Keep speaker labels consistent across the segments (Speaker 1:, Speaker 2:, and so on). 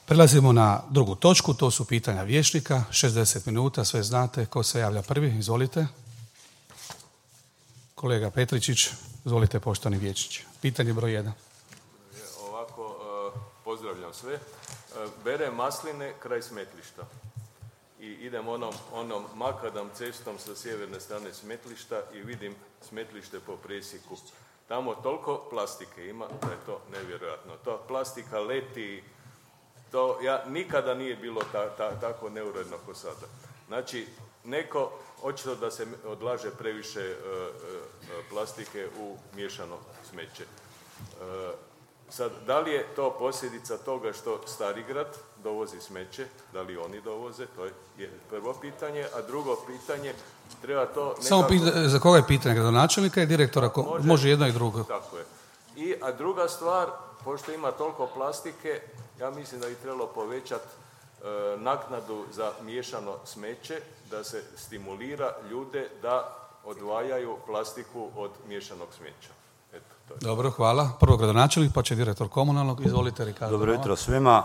Speaker 1: Prelazimo na drugu točku, to su pitanja vijećnika, 60 minuta, sve znate. Ko se javlja prvi? Izvolite. Kolega Petričić, izvolite poštovani vijećniče. Pitanje broj 1.
Speaker 2: Ovako, pozdravljam sve. Berem masline kraj smetlišta i idem onom makadam cestom sa sjeverne strane smetlišta i vidim smetlište po presjeku. Tamo toliko plastike ima da je to nevjerojatno. To plastika leti, to nikada nije bilo tako neuredno kao sada. Znači, očito da se odlaže previše plastike u miješano smeće. Sad, da li je to posljedica toga što Starigrad dovozi smeće, da li oni dovoze, to je prvo pitanje, a drugo pitanje, treba to nekako...
Speaker 1: Samo za koga je pitanje, gradonačelnika i direktora, može jedno i drugo.
Speaker 2: Tako je. A druga stvar, pošto ima toliko plastike, ja mislim da bi trebalo povećati naknadu za miješano smeće, da se stimulira ljude da odvajaju plastiku od miješanog smeća.
Speaker 1: Dobro, hvala. Prvo gradonačelnik, pa će direktor komunalnog. Izvolite, Ricardo.
Speaker 3: Dobro jutro svima.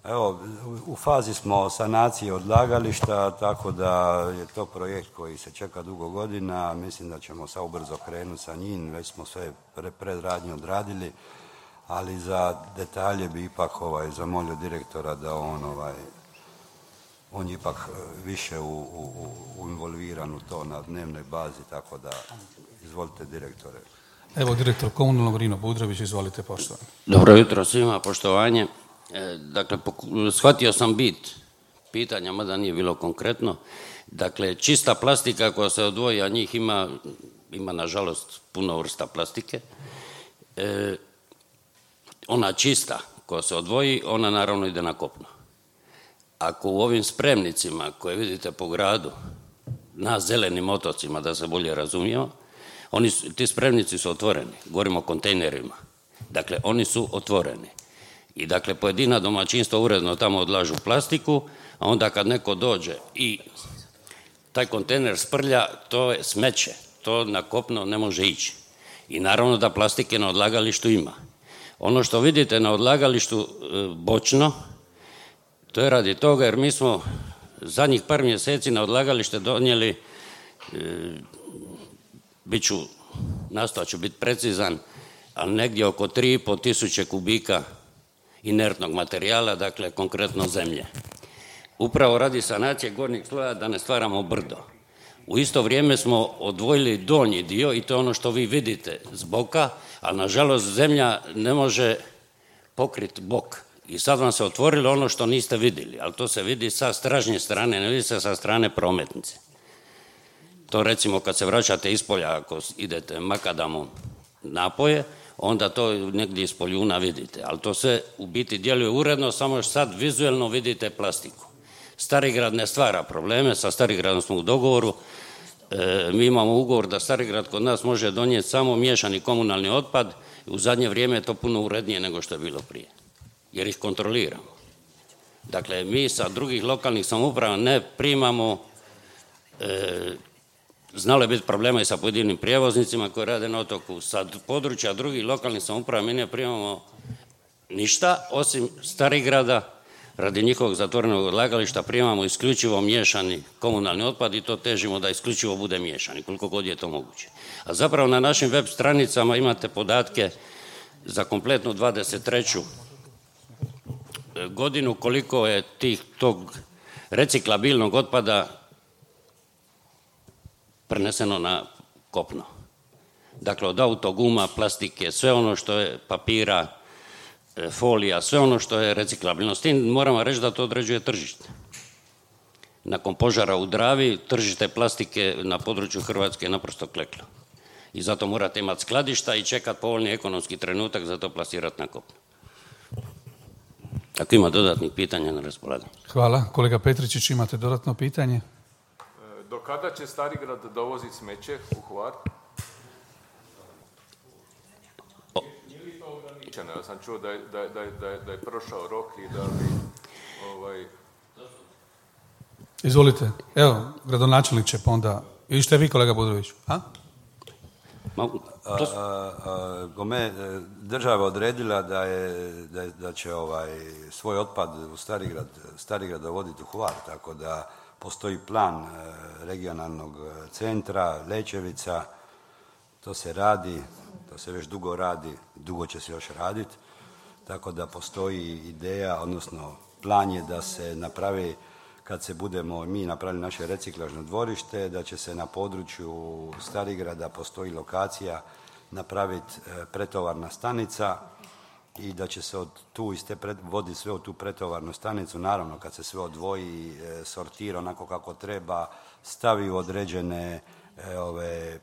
Speaker 3: Evo, u fazi smo sanacije odlagališta, tako da je to projekt koji se čeka dugo godina. Mislim da ćemo sad ubrzo krenuti sa njim. Već smo sve predradnje odradili, ali za detalje bi ipak zamolio direktora da on je ipak više involviran u to na dnevnoj bazi, tako da izvolite direktore.
Speaker 1: Evo, direktor komunalnog Rino Budrović, izvolite poštovani.
Speaker 4: Dobro jutro svima, poštovanje. Dakle, shvatio sam bit pitanja, mada nije bilo konkretno. Dakle, čista plastika koja se odvoji, a njih ima nažalost puno vrsta plastike. Ona čista koja se odvoji, ona naravno ide na kopno. Ako u ovim spremnicima koje vidite po gradu, na zelenim otocima, da se bolje razumijemo, ti spremnici su otvoreni, govorimo o kontejnerima. Dakle, oni su otvoreni. I dakle, pojedina domaćinstva uredno tamo odlažu plastiku, a onda kad neko dođe i taj kontejner sprlja, to je smeće. To na kopno ne može ići. I naravno da plastike na odlagalištu ima. Ono što vidite na odlagalištu bočno, to je radi toga jer mi smo zadnjih par mjeseci na odlagalište donijeli, nastojat ću biti precizan, ali negdje oko 3.500 kubika inertnog materijala, dakle konkretno zemlje. Upravo radi sanacije gornjeg sloja da ne stvaramo brdo. U isto vrijeme smo odvojili donji dio i to je ono što vi vidite s boka, ali nažalost zemlja ne može pokriti bok. I sad vam se otvorilo ono što niste vidjeli, ali to se vidi sa stražnje strane, ne vidi se sa strane prometnice. To recimo kad se vraćate iz polja, ako idete makadamom napoje, onda to negdje iz Poljuna vidite. Ali to sve u biti djeluje uredno, samo što sad vizuelno vidite plastiku. Starigrad ne stvara probleme, sa Starigradom smo u dogovoru. Mi imamo ugovor da Starigrad kod nas može donijeti samo miješani komunalni otpad. U zadnje vrijeme je to puno urednije nego što je bilo prije, jer ih kontroliramo. Dakle, mi sa drugih lokalnih samouprava ne primamo, znalo je biti problema i sa pojedinim prijevoznicima koji rade na otoku. Sa područja drugih lokalnih samouprava mi ne primamo ništa, osim Starigrada, radi njihovog zatvorenog odlagališta primamo isključivo miješani komunalni otpad i to težimo da isključivo bude miješani, koliko god je to moguće. A zapravo na našim web stranicama imate podatke za kompletnu 23. godinu koliko je tog reciklabilnog otpada preneseno na kopno. Dakle, od autoguma, plastike, sve ono što je papira, folija, sve ono što je reciklabilno. S tim moramo reći da to određuje tržište. Nakon požara u Dravi, tržište plastike na području Hrvatske je naprosto kleklo. I zato morate imati skladišta i čekati povoljni ekonomski trenutak za to plasirati na kopno. Ako ima dodatnih pitanja, na raspolaganju.
Speaker 1: Hvala. Kolega Petričić, imate dodatno pitanje?
Speaker 2: Do kada će Starigrad dovoziti smeće u Hvar? Nije li to ograničeno? Ja sam čuo da je prošao rok i da bi...
Speaker 1: Izvolite. Evo, gradonačelnik će pa onda... Ili ste vi, kolega Budrović?
Speaker 3: Država odredila da će svoj otpad u Starigrad dovoditi u Hvar, tako da postoji plan regionalnog centra Lećevica, to se radi, to se već dugo radi, dugo će se još raditi, tako da postoji ideja, odnosno plan je da se napravi, kad se budemo mi napravili naše reciklažno dvorište, da će se na području Starigrada, postoji lokacija, napraviti pretovarna stanica i da će se voditi sve u tu pretovarnu stanicu. Naravno, kad se sve odvoji, sortira onako kako treba, stavi u određene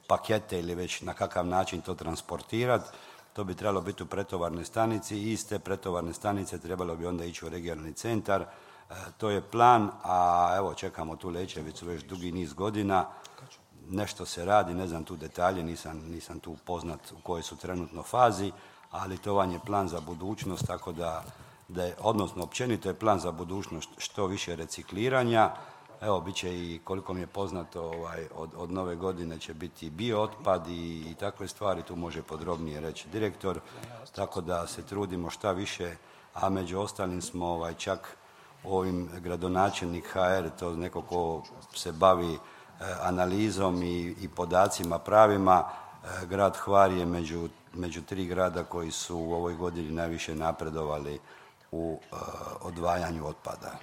Speaker 3: pakete ili već na kakav način to transportirati, to bi trebalo biti u pretovarnoj stanici i iz te pretovarne stanice trebalo bi onda ići u regionalni centar. To je plan, a evo čekamo tu Lećevicu već dugi niz godina. Nešto se radi, ne znam tu detalje, nisam tu poznat u kojoj su trenutno fazi, ali to vam je plan za budućnost, tako da je, odnosno općenito je plan za budućnost što više recikliranja. Evo, bit će i, koliko mi je poznato, od nove godine će biti biootpad i takve stvari, tu može podrobnije reći direktor, tako da se trudimo šta više, a među ostalim smo čak ovim gradonačelnik HR, to neko ko se bavi analizom i podacima pravima, grad Hvar je među 3 grada koji su u ovoj godini najviše napredovali u odvajanju otpada.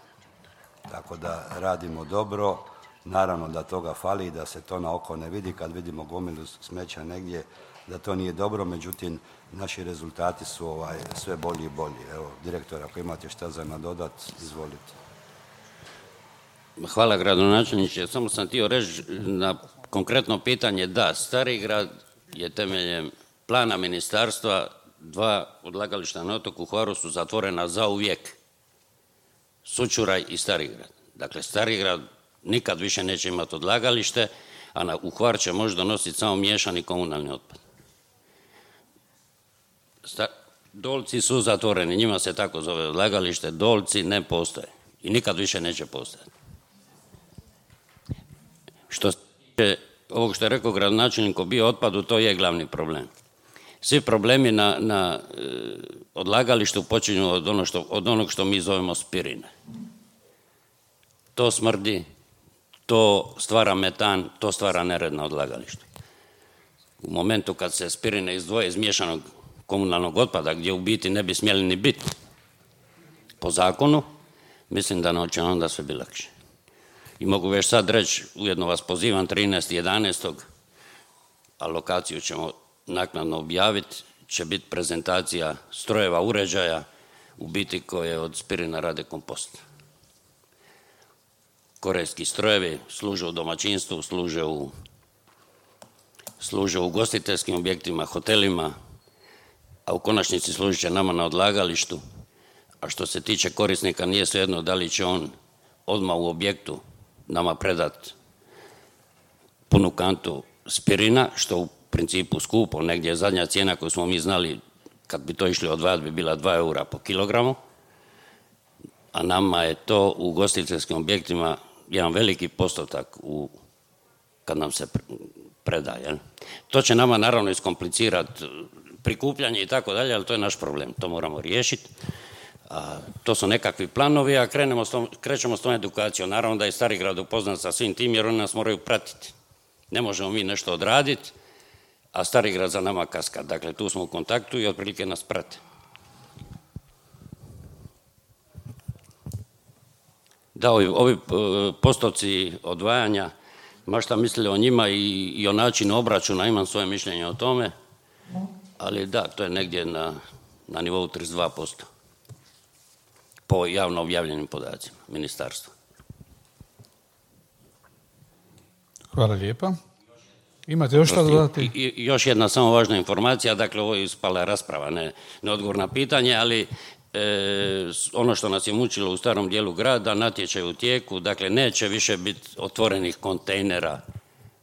Speaker 3: Tako da radimo dobro, naravno da toga fali, da se to na oko ne vidi, kad vidimo gomilu smeća negdje, da to nije dobro, međutim, naši rezultati su sve bolji i bolji. Evo, direktor, ako imate šta za nadodat, izvolite.
Speaker 4: Hvala, gradonačelniče. Samo sam htio reći na konkretno pitanje, da, Starigrad je temeljem plana ministarstva 2 odlagališta na otoku Hvaru su zatvorena zauvijek. Sućuraj i Starigrad. Dakle, Starigrad nikad više neće imati odlagalište, a u Hvar će možda donositi samo miješani komunalni otpad. Dolci su zatvoreni, njima se tako zove odlagalište, Dolci ne postoje i nikad više neće postojati. Što se tiče ovog što je rekao gradonačelnik o biootpadu, to je glavni problem. Svi problemi na odlagalištu počinju od onog što mi zovemo spirine. To smrdi, to stvara metan, to stvara nered na odlagalištu. U momentu kad se spirine izdvoje iz miješanog komunalnog otpada, gdje u biti ne bi smjeli ni biti po zakonu, mislim da će onda sve biti lakše. I mogu već sad reći, ujedno vas pozivam 13.11. a lokaciju ćemo naknadno objaviti, će biti prezentacija strojeva, uređaja, u biti koje od spirina rade kompost. Korejski strojevi služe u domaćinstvu, služe u ugostiteljskim objektima, hotelima, a u konačnici služit će nama na odlagalištu. A što se tiče korisnika, nije svejedno da li će on odmah u objektu nama predat punu kantu spirina, što u principu skupo, negdje je zadnja cijena koju smo mi znali kad bi to išli odvajati bi bila 2 eura po kilogramu, a nama je to u ugostiteljskim objektima jedan veliki postotak kad nam se predaje. To će nama naravno iskomplicirati prikupljanje i tako dalje, ali to je naš problem, to moramo riješiti. To su nekakvi planovi, a krećemo s tom edukacijom. Naravno da je Starigrad upoznat sa svim tim, jer oni nas moraju pratiti. Ne možemo mi nešto odraditi, a Starigrad za nama kaska. Dakle, tu smo u kontaktu i otprilike nas prate. Da, ovi postupci odvajanja, ma šta mislili o njima i o načinu obračuna, imam svoje mišljenje o tome, ali da, to je negdje na nivou 32%. Po javno objavljenim podacima ministarstva.
Speaker 1: Hvala lijepa. Imate još što dodati?
Speaker 4: I još jedna samo važna informacija, dakle ovo je ispala rasprava, ne odgovor na pitanje, ali ono što nas je mučilo u starom dijelu grada, natječaj u tijeku, dakle neće više biti otvorenih kontejnera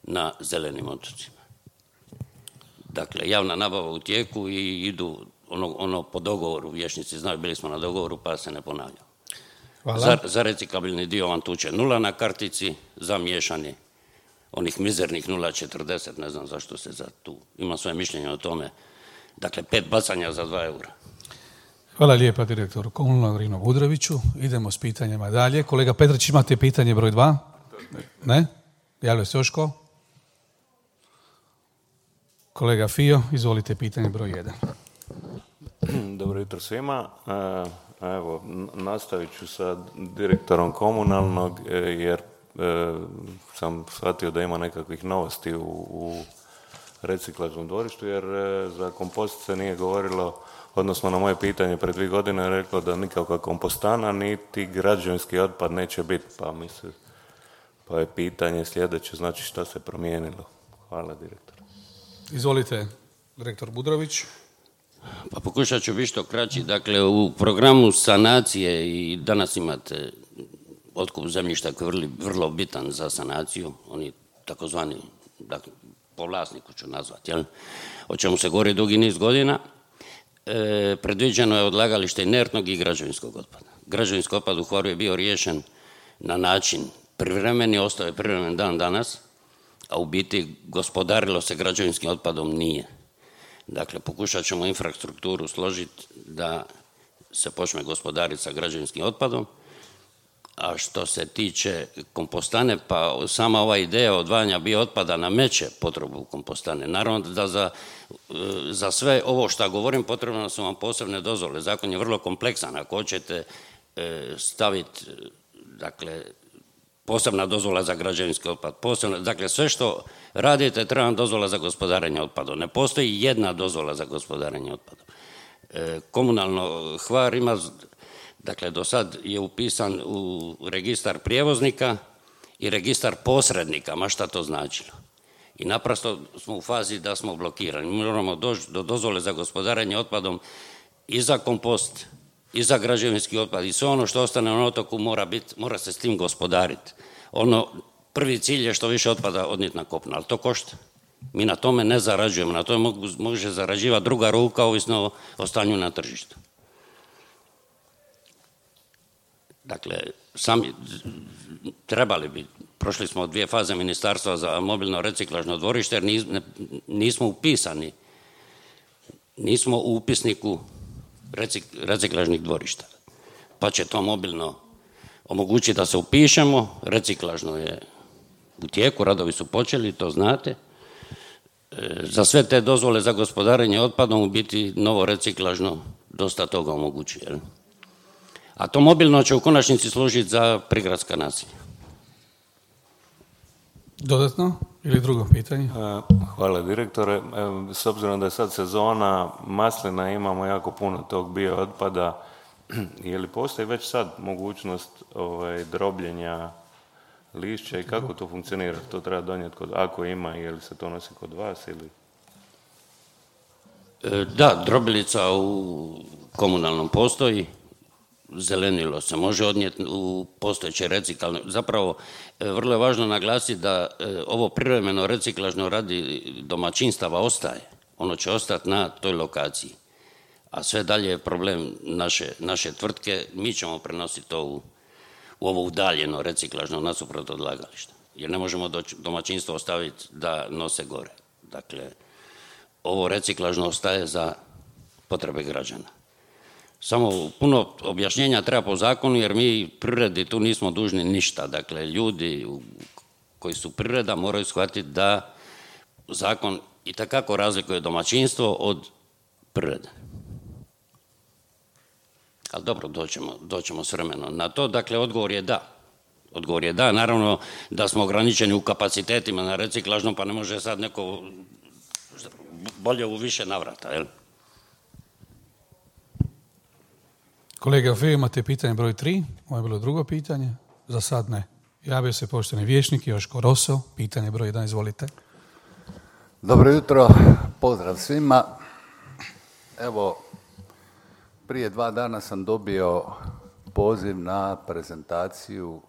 Speaker 4: na zelenim otocima. Dakle, javna nabava u tijeku i idu ono po dogovoru, vijećnici znaju, bili smo na dogovoru pa se ne ponavljamo. Za reciklabilni dio vam tu će 0 na kartici, za miješani onih mizernih 0,40, ne znam zašto se za tu. Imam svoje mišljenje o tome. Dakle, 5 bacanja za 2 eura.
Speaker 1: Hvala lijepa direktoru komunalnog Rino Budroviću. Idemo s pitanjima dalje. Kolega Petrić, imate pitanje broj 2? Ne? Javlja se još ko? Kolega Fio, izvolite pitanje broj 1.
Speaker 5: Dobro jutro svima. Evo, nastavit ću sa direktorom komunalnog jer sam shvatio da ima nekakvih novosti u reciklažnom dvorištu jer za kompost se nije govorilo, odnosno na moje pitanje pred 2 godine je reklo da nikakva kompostana niti građevinski otpad neće biti, pa je pitanje sljedeće, znači šta se promijenilo. Hvala direktor.
Speaker 1: Izvolite, direktor Budrović.
Speaker 4: Pa pokušat ću biti što kraći. Dakle, u programu sanacije i danas imate otkup zemljišta koji je vrlo bitan za sanaciju, oni takozvani, dakle, po vlasniku ću nazvati, jel? O čemu se govori dugi niz godina. Predviđeno je odlagalište inertnog i građevinskog otpada. Građevinski otpad u Hvaru je bio riješen na način privremeni, ostao je privremen dan danas, a u biti gospodarilo se građevinskim otpadom nije. Dakle, pokušat ćemo infrastrukturu složiti da se počne gospodariti sa građevinskim otpadom, a što se tiče kompostane, pa sama ova ideja odvajanja biootpada nameće potrebu kompostane. Naravno da za sve ovo što govorim potrebno su vam posebne dozvole. Zakon je vrlo kompleksan. Ako hoćete staviti, dakle, posebna dozvola za građevinski otpad, dakle, sve što radite treba vam dozvola za gospodarenje otpadom. Ne postoji jedna dozvola za gospodarenje otpadom. Komunalno Hvar ima, dakle, do sad je upisan u registar prijevoznika i registar posrednika, ma šta to značilo. I naprosto smo u fazi da smo blokirani. Mi moramo doći do dozvole za gospodarenje otpadom i za kompost, i za građevinski otpad, i sve ono što ostane na otoku mora se s tim gospodariti. Prvi cilj je što više otpada odnijeti na kopno, ali to košta. Mi na tome ne zarađujemo, na tome može zarađivati druga ruka, ovisno o stanju na tržištu. Dakle, trebali bi, prošli smo 2 faze ministarstva za mobilno reciklažno dvorište, jer nismo upisani, nismo u upisniku reciklažnih dvorišta. Pa će to mobilno omogućiti da se upišemo, reciklažno je u tijeku, radovi su počeli, to znate. Za sve te dozvole za gospodarenje otpadom u biti novo reciklažno dosta toga omogućuje. A to mobilno će u konačnici služiti za prigradska naselja.
Speaker 1: Dodatno ili drugo pitanje?
Speaker 5: Hvala direktore. S obzirom da je sad sezona maslina, imamo jako puno tog biootpada. Je li postoji već sad mogućnost drobljenja lišća i kako to funkcionira? To treba donijeti ako ima, je li se to nosi kod vas ili?
Speaker 4: Da, drobilica u komunalnom postoji. Zelenilo se može odnijeti u postojeće reciklažno. Zapravo, vrlo je važno naglasiti da ovo privremeno reciklažno radi domaćinstava ostaje. Ono će ostati na toj lokaciji. A sve dalje je problem naše tvrtke. Mi ćemo prenositi to u ovo udaljeno reciklažno nasuprot odlagališta. Jer ne možemo domaćinstvo ostaviti da nose gore. Dakle, ovo reciklažno ostaje za potrebe građana. Samo puno objašnjenja treba po zakonu, jer mi privredi tu nismo dužni ništa. Dakle, ljudi koji su privreda moraju shvatiti da zakon itekako razlikuje domaćinstvo od privrede. Ali dobro, doćemo s vremenom na to. Dakle, odgovor je da. Odgovor je da. Naravno da smo ograničeni u kapacitetima na reciklažnom, pa ne može sad neko bolje u više navrata, jel?
Speaker 1: Kolega Feo, imate pitanje broj 3. Ovo je bilo drugo pitanje. Za sad ne. Javio se poštovani vijećnik Joško Roso. Pitanje broj 1, izvolite.
Speaker 6: Dobro jutro, pozdrav svima. Evo, prije 2 dana sam dobio poziv na prezentaciju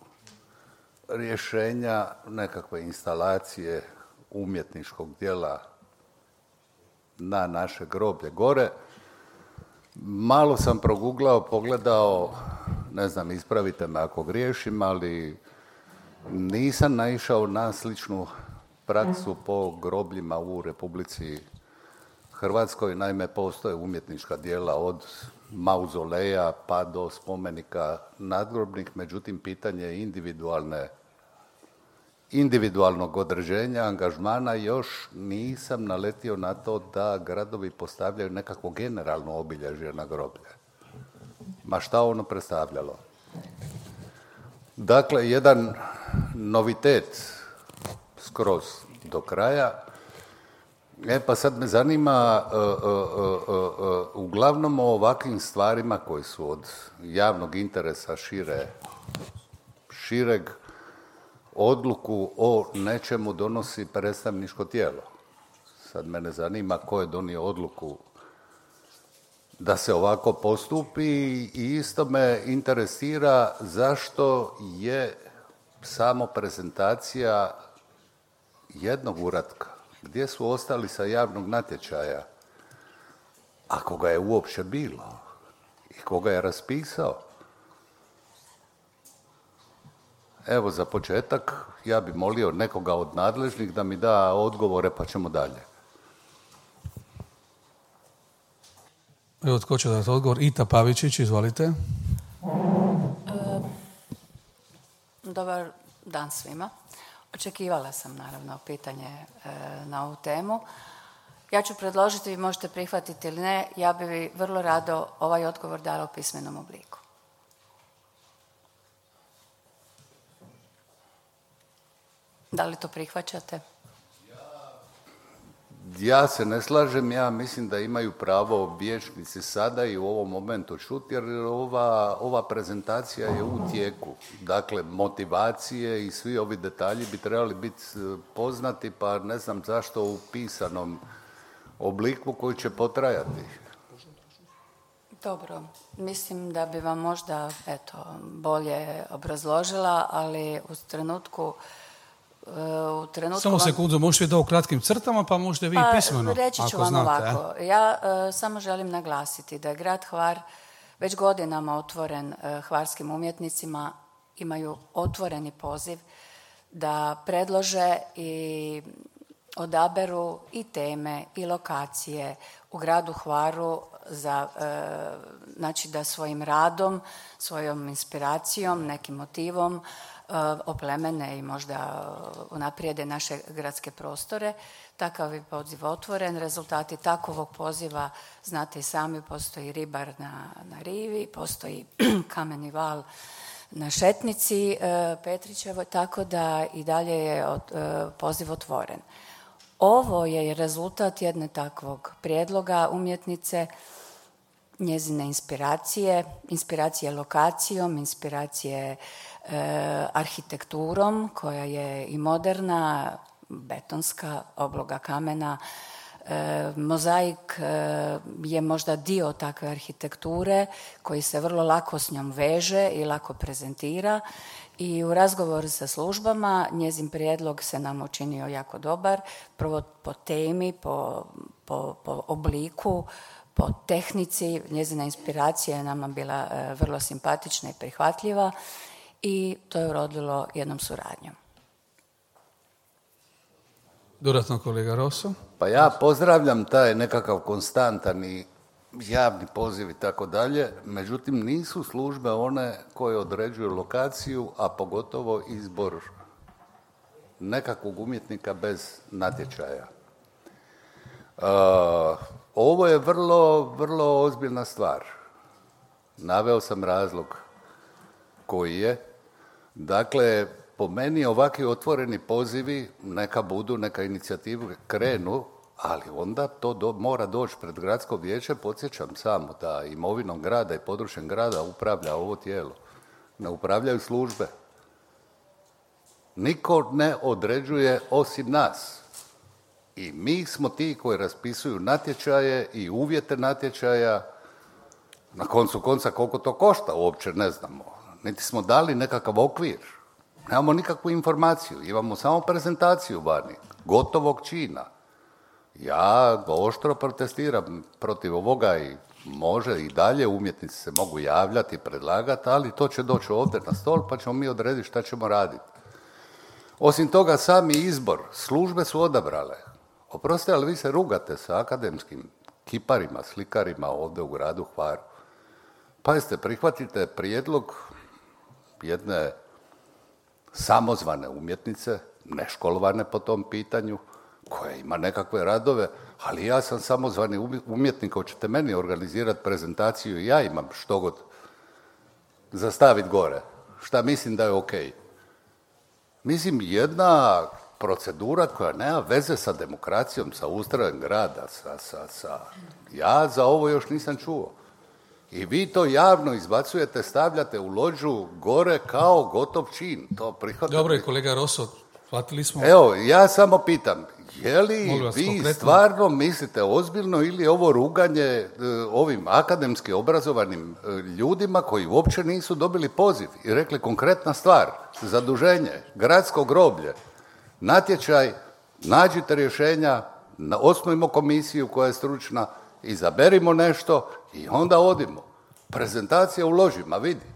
Speaker 6: rješenja nekakve instalacije umjetničkog dijela na naše groblje gore. Malo sam proguglao, pogledao, ne znam, ispravite me ako griješim, ali nisam naišao na sličnu praksu po grobljima u Republici Hrvatskoj. Naime, postoje umjetnička djela od mauzoleja pa do spomenika nadgrobnih, međutim, pitanje je individualnog određenja, angažmana. Još nisam naletio na to da gradovi postavljaju nekakvo generalno obilježje na groblje. Ma šta ono predstavljalo? Dakle, jedan novitet skroz do kraja. Pa sad me zanima, uglavnom o ovakvim stvarima koji su od javnog interesa šireg, odluku o nečemu donosi predstavničko tijelo. Sad mene zanima ko je donio odluku da se ovako postupi i isto me interesira zašto je samo prezentacija jednog uratka. Gdje su ostali sa javnog natječaja? Ako ga je uopće bilo i koga je raspisao? Evo, za početak, ja bi molio nekoga od nadležnih da mi da odgovore, pa ćemo dalje.
Speaker 1: Evo, tko će dati odgovor? Ita Pavičić, izvolite.
Speaker 7: Dobar dan svima. Očekivala sam, naravno, pitanje na ovu temu. Ja ću predložiti, vi možete prihvatiti ili ne, ja bi vrlo rado ovaj odgovor dala u pismenom obliku. Da li to prihvaćate?
Speaker 6: Ja se ne slažem, ja mislim da imaju pravo vijećnici sada i u ovom momentu čuti, jer ova prezentacija je u tijeku. Dakle, motivacije i svi ovi detalji bi trebali biti poznati, pa ne znam zašto u pisanom obliku koji će potrajati.
Speaker 7: Dobro, mislim da bi vam možda bolje obrazložila, ali u trenutku...
Speaker 1: Samo sekundu, možete da u kratkim crtama, pa možete vi pismeno,
Speaker 7: reći ću vam znate, ovako. Ja samo želim naglasiti da je grad Hvar već godinama otvoren hvarskim umjetnicima, imaju otvoreni poziv da predlože i odaberu i teme i lokacije u gradu Hvaru za, znači da svojim radom, svojom inspiracijom, nekim motivom oplemene i možda unaprijede naše gradske prostore. Takav je poziv otvoren. Rezultati takovog poziva, znate i sami, postoji ribar na rivi, postoji kameni val na Šetnici Petrićevoj, tako da i dalje je poziv otvoren. Ovo je rezultat jedne takvog prijedloga umjetnice, njezine inspiracije lokacijom, inspiracije arhitekturom koja je i moderna, betonska, obloga kamena. Mozaik je možda dio takve arhitekture koji se vrlo lako s njom veže i lako prezentira. I u razgovoru sa službama njezin prijedlog se nam učinio jako dobar, prvo po temi, po obliku, po tehnici. Njezina inspiracija je nama bila vrlo simpatična i prihvatljiva i to je urodilo jednom suradnjom.
Speaker 1: Dodatno kolega Rosso.
Speaker 6: Pa ja pozdravljam taj nekakav konstantan i javni poziv i tako dalje, međutim nisu službe one koje određuju lokaciju, a pogotovo izbor nekakvog umjetnika bez natječaja. Ovo je vrlo ozbiljna stvar. Naveo sam razlog koji je. Dakle, po meni ovakvi otvoreni pozivi, neka budu, neka inicijative krenu, ali onda to mora doći pred gradsko vijeće. Podsjećam samo da imovinom grada i područjem grada upravlja ovo tijelo. Ne upravljaju službe. Niko ne određuje osim nas. I mi smo ti koji raspisuju natječaje i uvjete natječaja. Na koncu konca koliko to košta uopće ne znamo. Niti smo dali nekakav okvir. Nemamo nikakvu informaciju. Imamo samo prezentaciju vani. Gotovog čina. Ja oštro protestiram protiv ovoga i može i dalje umjetnici se mogu javljati, predlagati, ali to će doći ovdje na stol pa ćemo mi odrediti šta ćemo raditi. Osim toga, sami izbor, službe su odabrale. Oprostite, ali vi se rugate sa akademskim kiparima, slikarima ovdje u gradu Hvaru. Pazite, prihvatite prijedlog jedne samozvane umjetnice, neškolovane po tom pitanju, koja ima nekakve radove, ali ja sam samozvani umjetnik, hoćete meni organizirati prezentaciju i ja imam što god zastaviti gore, šta mislim da je okej. Mislim, jedna procedura koja nema veze sa demokracijom, sa ustrojem grada, ja za ovo još nisam čuo. I vi to javno izbacujete, stavljate u lođu gore kao gotov čin. To prihvatite.
Speaker 1: Dobro je, kolega Roso, shvatili smo.
Speaker 6: Evo, ja samo pitam, je li vi konkretno stvarno mislite ozbiljno ili je ovo ruganje ovim akademski obrazovanim ljudima koji uopće nisu dobili poziv i rekli konkretna stvar, zaduženje, gradsko groblje, natječaj, nađite rješenja, osnujmo komisiju koja je stručna, izaberimo nešto i onda odimo. Prezentacija u ložima, vidi.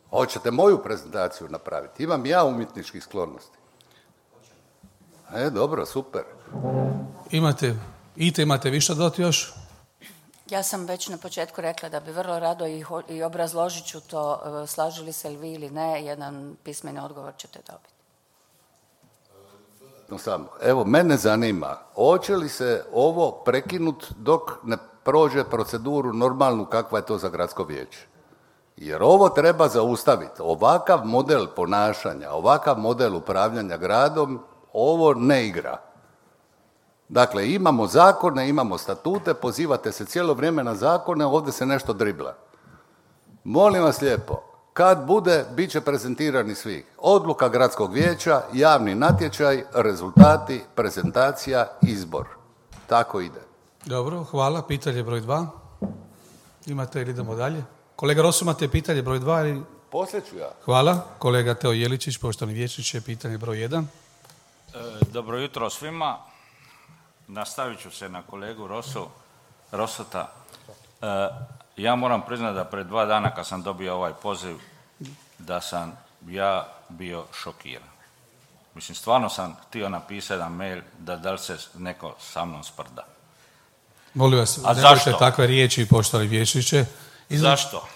Speaker 6: Hoćete moju prezentaciju napraviti? Imam ja umjetničkih sklonosti. Dobro, super.
Speaker 1: Imate više dodati još?
Speaker 7: Ja sam već na početku rekla da bi vrlo rado i obrazložit ću to, slažu li se li vi ili ne, jedan pismeni odgovor ćete dobiti.
Speaker 6: Evo, mene zanima, hoće li se ovo prekinut dok ne prođe proceduru normalnu kakva je to za gradsko vijeće? Jer ovo treba zaustaviti. Ovakav model ponašanja, ovakav model upravljanja gradom, ovo ne igra. Dakle, imamo zakone, imamo statute, pozivate se cijelo vrijeme na zakone, ovdje se nešto dribla. Molim vas lijepo, kad bude, bit će prezentirani svi. Odluka gradskog vijeća, javni natječaj, rezultati, prezentacija, izbor. Tako ide.
Speaker 1: Dobro, hvala. Pitanje broj 2. Imate ili idemo dalje? Kolega Rosu, imate pitanje broj 2? Ili...
Speaker 6: Poslije ću ja.
Speaker 1: Hvala. Kolega Teo Jeličić, poštovani vijećniče, pitanje broj 1.
Speaker 8: Dobro jutro svima. Nastavit ću se na kolegu Rosota. Ja moram priznati da pred 2 dana kad sam dobio ovaj poziv, da sam ja bio šokiran. Mislim, stvarno sam htio napisati jedan mail da li se neko sa mnom sprda.
Speaker 1: Molim vas, nemojte takve riječi, poštovani vijećniče.
Speaker 8: Zašto?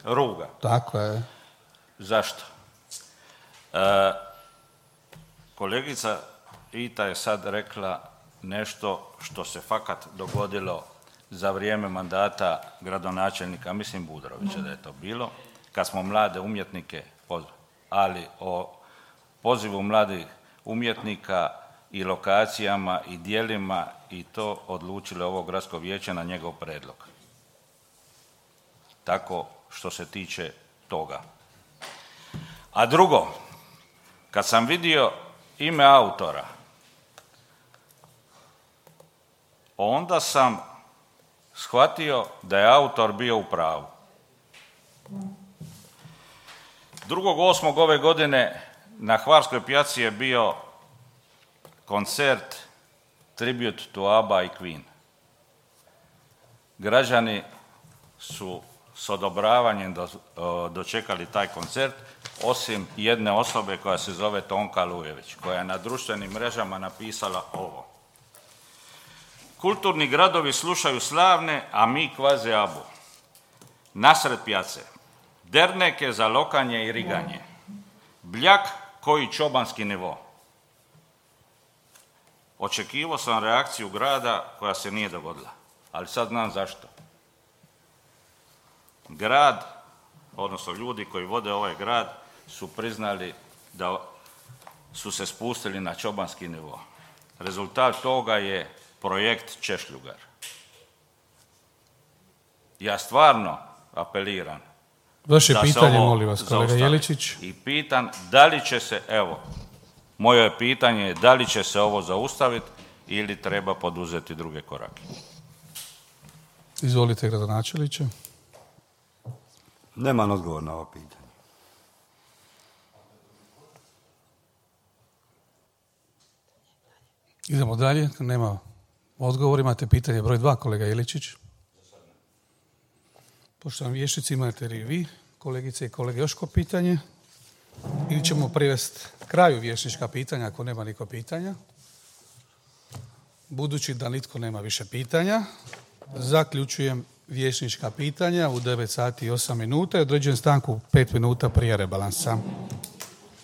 Speaker 8: Ruga.
Speaker 1: Tako je.
Speaker 8: Zašto? Kolegica Ita je sad rekla nešto što se fakat dogodilo za vrijeme mandata gradonačelnika, mislim Budrovića da je to bilo, kad smo mlade umjetnike pozvali. Ali o pozivu mladih umjetnika i lokacijama i dijelima i to odlučilo ovo gradsko vijeće na njegov predlog. Tako što se tiče toga. A drugo, kad sam vidio ime autora, onda sam shvatio da je autor bio u pravu. 2.8. ove godine na Hvarskoj pijaci je bio koncert Tribute to ABBA i Queen. Građani su s odobravanjem dočekali taj koncert, osim jedne osobe koja se zove Tonka Lujević, koja je na društvenim mrežama napisala ovo. Kulturni gradovi slušaju slavne, a mi kvaze ABBU. Nasred pijace, derneke za lokanje i riganje, bljak koji čobanski nivo. Očekivao sam reakciju grada koja se nije dogodila, ali sad znam zašto. Grad, odnosno ljudi koji vode ovaj grad, su priznali da su se spustili na čobanski nivo. Rezultat toga je projekt Češljugar. Ja stvarno apeliram
Speaker 1: vaše pitanje, molim vas, kolega Jeličić.
Speaker 8: I pitam da li će se, moje pitanje je da li će se ovo zaustaviti ili treba poduzeti druge korake.
Speaker 1: Izvolite, gradonačelniče.
Speaker 3: Nemam odgovor na ovo pitanje.
Speaker 1: Idemo dalje, nema odgovor. Imate pitanje broj 2, kolega Jeličić. Poštovani vijećnici, imate li vi, kolegice i kolege, još ko pitanje? Ili ćemo privesti kraju vijećnička pitanja ako nema niko pitanja. Budući da nitko nema više pitanja, zaključujem vijećnička pitanja u 9 sati i 8 minuta i određujem stanku 5 minuta prije rebalansa.